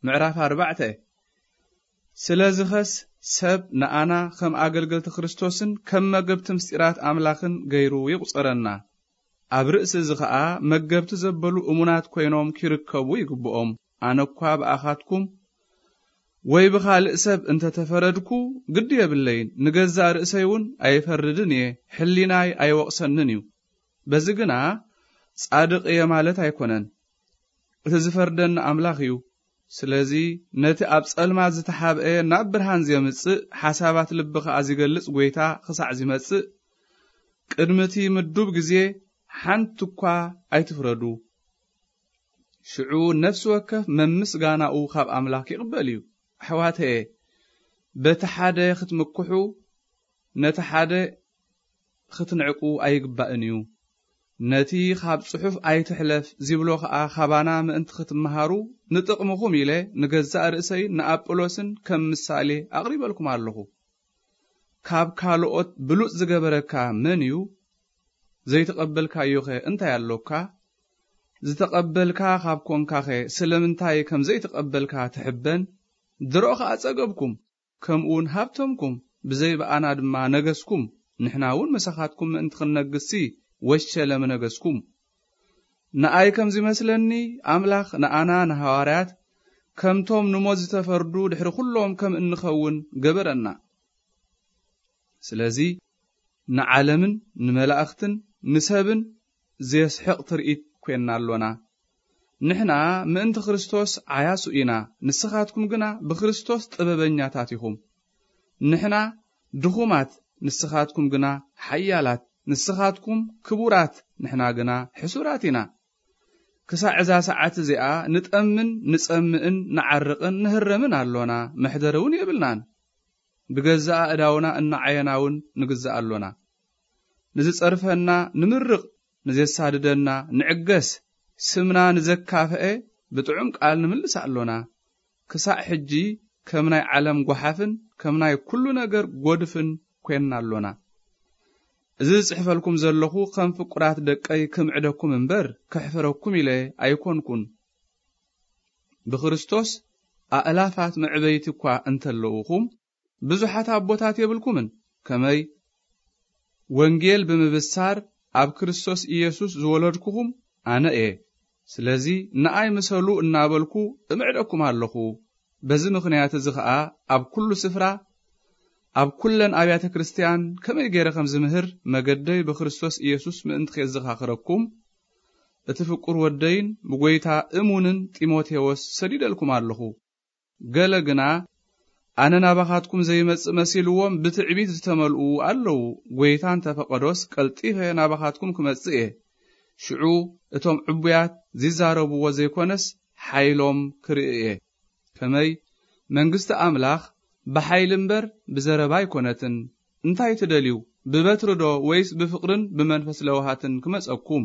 ምዕራፍ ኣርባዕተ። ስለዚኸስ ሰብ ንኣና ከም ኣገልገልቲ ክርስቶስን ከም መገብቲ ምስጢራት ኣምላኽን ገይሩ ይቑጸረና። ኣብ ርእሲ እዚ ኸኣ መገብቲ ዘበሉ እሙናት ኮይኖም ኪርከቡ ይግብኦም። ኣነ እኳ ብኣኻትኩም ወይ ብኻልእ ሰብ እንተ ተፈረድኩ ግዲ የብለይን፣ ንገዛእ ርእሰይ እውን ኣይፈርድን እየ፣ ሕሊናይ ኣይወቕሰንን እዩ። በዚ ግና ጻድቕ እየ ማለት ኣይኮነን። እቲ ዝፈርደኒ ኣምላኽ እዩ። ስለዚ ነቲ ኣብ ጸልማት ዝተሓብአ ናብ ብርሃን ዜምጽእ፣ ሓሳባት ልቢ ኸኣ ዚገልጽ ጐይታ ኽሳዕ ዚመጽእ፣ ቅድሚ እቲ ምዱብ ግዜ ሓንቲ እኳ ኣይትፍረዱ። ሽዑ ነፍሲ ወከፍ መምስጋናኡ ኻብ ኣምላኽ ይቕበል እዩ። ኣሕዋተየ፣ በቲ ሓደ ኽትምክሑ፣ ነቲ ሓደ ኽትንዕቁ ኣይግባእን እዩ። ነቲ ኻብ ጽሑፍ ኣይትሕለፍ ዚብሎ ኸኣ ኻባና ምእንቲ ኽትመሃሩ፣ ንጥቕምኹም ኢለ ንገዛእ ርእሰይን ንኣጵሎስን ከም ምሳሌ ኣቕሪበልኩም ኣለኹ። ካብ ካልኦት ብሉጽ ዝገበረካ መን እዩ? ዘይተቐበልካዮኸ እንታይ ኣሎካ? ዝተቐበልካ ኻብ ኰንካኸ ስለምንታይ ከም ዘይተቐበልካ ትሕበን? ድሮ ኸኣ ጸገብኩም፣ ከምኡውን ሃብተምኩም፣ ብዘይ ብኣና ድማ ነገስኩም። ንሕና እውን ምሳኻትኩም ምእንቲ ኽንነግስሲ ወሸለ ምነገስኩም። ንኣይ ከም ዚመስለኒ፣ ኣምላኽ ንኣና ንሃዋርያት ከምቶም ንሞት ዝተፈርዱ ድሕሪ ኹሎም ከም እንኸውን ገበረና። ስለዚ ንዓለምን ንመላእኽትን ንሰብን ዜስሕቕ ትርኢት ኰንና ኣሎና። ንሕና ምእንቲ ክርስቶስ ዓያሱ ኢና፣ ንስኻትኩም ግና ብክርስቶስ ጥበበኛታት ኢኹም። ንሕና ድኹማት፣ ንስኻትኩም ግና ሓያላት፣ ንስኻትኩም ክቡራት፣ ንሕና ግና ሕሱራት ኢና። ክሳዕ እዛ ሰዓት እዚኣ ንጠምን ንጸምእን ንዓርቕን ንህረምን ኣሎና፣ መሕደሪ እውን የብልናን። ብገዛእ ኣእዳውና እናዓየና እውን ንግዛእ ኣሎና። ንዝጸርፈና ንምርቕ፣ ንዜሳድደና ንዕገስ፣ ስምና ንዘካፍአ ብጥዑም ቃል ንምልስ ኣሎና። ክሳዕ ሕጂ ከም ናይ ዓለም ጓሓፍን ከም ናይ ኩሉ ነገር ጐድፍን ኰንና ኣሎና። እዚ ዝጽሕፈልኩም ዘለኹ ከም ፍቁራት ደቀይ ክምዕደኩም እምበር፣ ከሕፍረኩም ኢለ ኣይኮንኩን። ብክርስቶስ ኣእላፋት መዕበይቲ እኳ እንተለውኹም፣ ብዙሓት ኣቦታት የብልኩምን። ከመይ? ወንጌል ብምብሳር ኣብ ክርስቶስ ኢየሱስ ዝወለድኩኹም ኣነ እየ። ስለዚ ንኣይ ምሰሉ እናበልኩ እምዕደኩም ኣለኹ። በዚ ምኽንያት እዚ ኸኣ ኣብ ኩሉ ስፍራ፣ ኣብ ኩለን ኣብያተ ክርስትያን ከመይ ገይረ ከም ዝምህር መገደይ ብክርስቶስ ኢየሱስ ምእንቲ ኼዘኻኽረኩም፣ እቲ ፍቁር ወደይን ብጐይታ እሙንን ጢሞቴዎስ ሰዲደልኩም ኣለኹ። ገለ ግና ኣነ ናባኻትኩም ዘይመጽእ መሲልዎም ብትዕቢት ዝተመልኡ ኣለዉ። ጐይታ እንተ ፈቐዶስ ቀልጢፈ ናባኻትኩም ክመጽእ እየ። ሽዑ እቶም ዕቡያት ዚዛረብዎ ዘይኮነስ ሓይሎም ክርኢ እየ። ከመይ? መንግስቲ ኣምላኽ ብሓይሊ እምበር ብዘረባ ኣይኮነትን። እንታይ ትደልዩ? ብበትሪ ዶ ወይስ ብፍቕርን ብመንፈስ ለውሃትን ክመጸኩም?